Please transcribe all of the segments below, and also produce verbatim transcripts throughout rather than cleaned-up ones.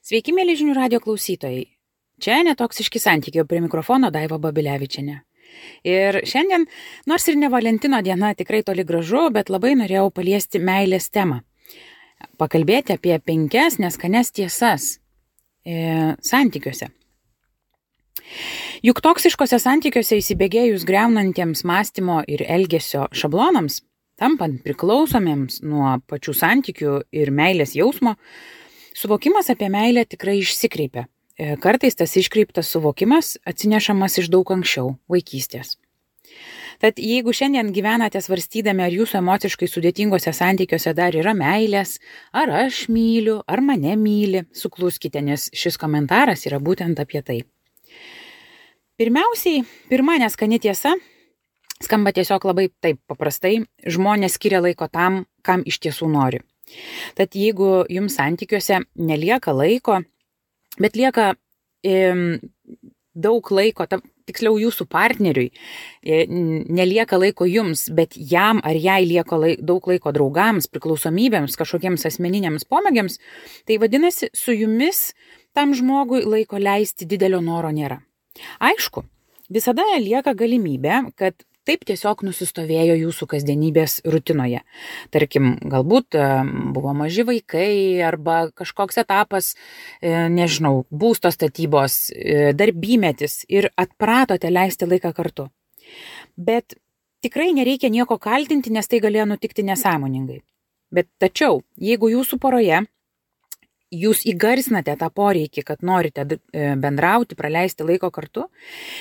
Sveiki, mėly žinių radio klausytojai. Čia Netoksiški santykiai, prie mikrofono Daiva Babilevičienė. Ir šiandien, nors ir ne Valentino diena, tikrai toli gražu, bet labai norėjau paliesti meilės temą. Pakalbėti apie penkias neskanes tiesas e, santykiuose. Juk toksiškose santykiuose įsibėgėjus greunantiems mąstymo ir elgesio šablonams, tampant priklausomiems nuo pačių santykių ir meilės jausmo, suvokimas apie meilę tikrai išsikreipia. Kartais tas iškreiptas suvokimas atsinešamas iš daug anksčiau, vaikystės. Tad jeigu šiandien gyvenate svarstydami, ar jūsų emociškai sudėtingose santykiuose dar yra meilės, ar aš myliu, ar mane myli, sukluskite, nes šis komentaras yra būtent apie tai. Pirmiausiai, pirma neskani tiesa, skamba tiesiog labai taip paprastai, žmonės skiria laiko tam, kam iš tiesų nori. Tad jeigu jums santykiuose nelieka laiko, bet lieka e, daug laiko, ta, tiksliau jūsų partneriui, e, nelieka laiko jums, bet jam ar jai lieka laik, daug laiko draugams, priklausomybėms, kažkokiems asmeniniams pomėgiams, tai vadinasi, su jumis tam žmogui laiko leisti didelio noro nėra. Aišku, visada lieka galimybė, kad taip tiesiog nusistovėjo jūsų kasdienybės rutinoje. Tarkim, galbūt buvo maži vaikai arba kažkoks etapas, nežinau, būsto statybos, darbymetis ir atpratote leisti laiką kartu. Bet tikrai nereikia nieko kaltinti, nes tai galėjo nutikti nesąmoningai. Bet tačiau, jeigu jūsų poroje jūs įgarsinate tą poreikį, kad norite bendrauti, praleisti laiko kartu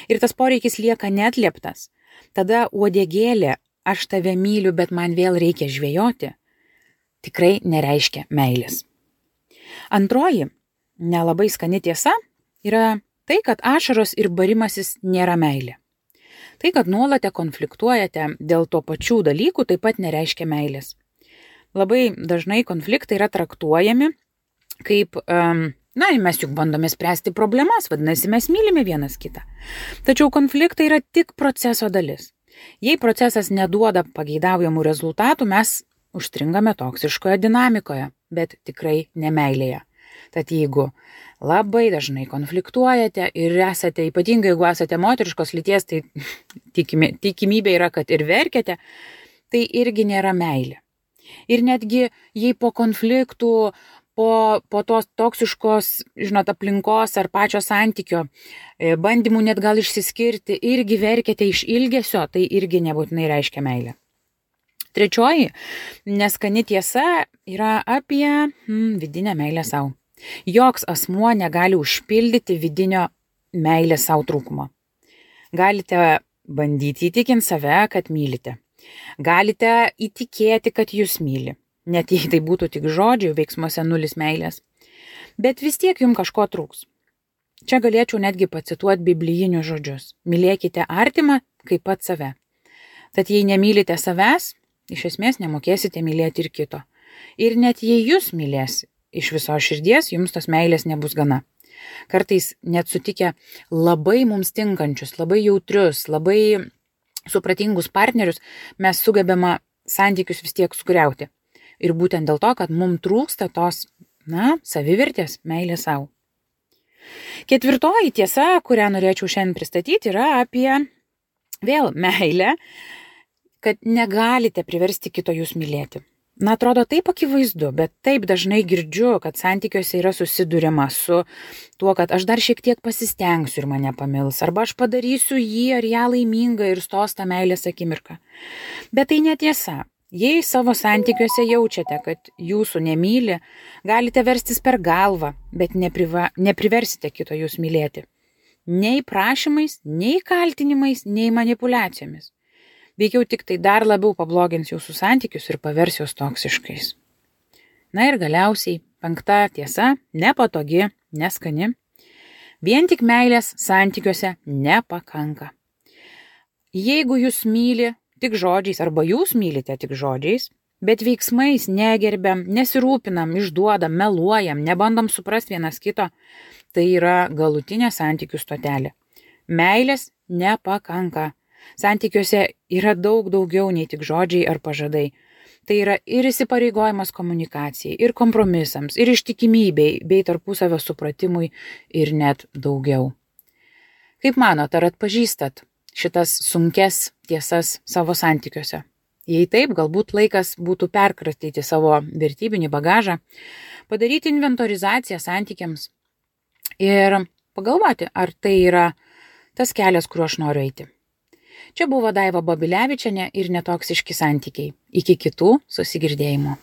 ir tas poreikis lieka neatlieptas, tada uodegėlė, aš tave myliu, bet man vėl reikia žvejoti, tikrai nereiškia meilės. Antroji, nelabai skani tiesa, yra tai, kad ašaros ir barimasis nėra meilė. Tai, kad nuolate konfliktuojate dėl to pačių dalykų, taip pat nereiškia meilės. Labai dažnai konfliktai yra traktuojami kaip, um, na, mes juk bandome spręsti problemas, vadinasi, mes mylime vienas kitą. Tačiau konfliktai yra tik proceso dalis. Jei procesas neduoda pageidaujamų rezultatų, mes užstringame toksiškoje dinamikoje, bet tikrai ne meilėje. Tad jeigu labai dažnai konfliktuojate ir esate, ypatingai jeigu esate moteriškos lyties, tai tikimi, tikimybė yra, kad ir verkiate, tai irgi nėra meilė. Ir netgi jei po konfliktų, Po, po tos toksiškos, žinot, aplinkos ar pačio santykio bandymų net gal išsiskirti, irgi verkėte iš ilgesio, tai irgi nebūtinai reiškia meilę. Trečioji neskani tiesa yra apie hmm, vidinę meilę savo. Joks asmuo negali užpildyti vidinio meilės savo trūkumo. Galite bandyti įtikinti save, kad mylite. Galite įtikėti, kad jūs myli. Net jei tai būtų tik žodžiai, veiksmuose nulis meilės. Bet vis tiek jums kažko trūks. Čia galėčiau netgi pacituoti biblijinius žodžius. Mylėkite artimą kaip pat save. Tad jei nemylite savęs, iš esmės nemokėsite mylėti ir kito. Ir net jei jūs mylės iš viso širdies, jums tos meilės nebus gana. Kartais net sutikę labai mums tinkančius, labai jautrius, labai supratingus partnerius, mes sugebame santykius vis tiek sugriauti. Ir būtent dėl to, kad mums trūksta tos, na, savivertės, meilės savo. Ketvirtoji tiesa, kurią norėčiau šiandien pristatyti, yra apie vėl meilę, kad negalite priversti kito jūs mylėti. Na, atrodo taip akivaizdu, bet taip dažnai girdžiu, kad santykiuose yra susiduriama su tuo, kad aš dar šiek tiek pasistengsiu ir mane pamils, arba aš padarysiu jį ar ją laimingą ir stos tą meilės akimirką. Bet tai netiesa. Jei savo santykiuose jaučiate, kad jūsų nemyli, galite verstis per galvą, bet nepriva, nepriversite kito jūs mylėti. Nei prašymais, nei kaltinimais, nei manipuliacijomis. Veikiau tik tai dar labiau pablogins jūsų santykius ir pavers juos toksiškais. Na ir galiausiai, penkta tiesa, nepatogi, neskani. Vien tik meilės santykiuose nepakanka. Jeigu jūs myli tik žodžiais, arba jūs mylite tik žodžiais, bet veiksmais negerbiam, nesirūpinam, išduodam, meluojam, nebandom suprasti vienas kito, tai yra galutinė santykių stotelė. Meilės nepakanka. Santykiuose yra daug daugiau nei tik žodžiai ar pažadai. Tai yra ir įsipareigojimas komunikacijai, ir kompromisams, ir ištikimybei, bei tarpusavio supratimui ir net daugiau. Kaip manot, ar atpažįstat šitas sunkes tiesas savo santykiuose? Jei taip, galbūt laikas būtų perkratyti savo vertybinį bagažą, padaryti inventorizaciją santykiams ir pagalvoti, ar tai yra tas kelias, kuriuo aš noriu eiti. Čia buvo Daiva Babilevičienė ir Netoksiški santykiai. Iki kitų susigirdėjimų.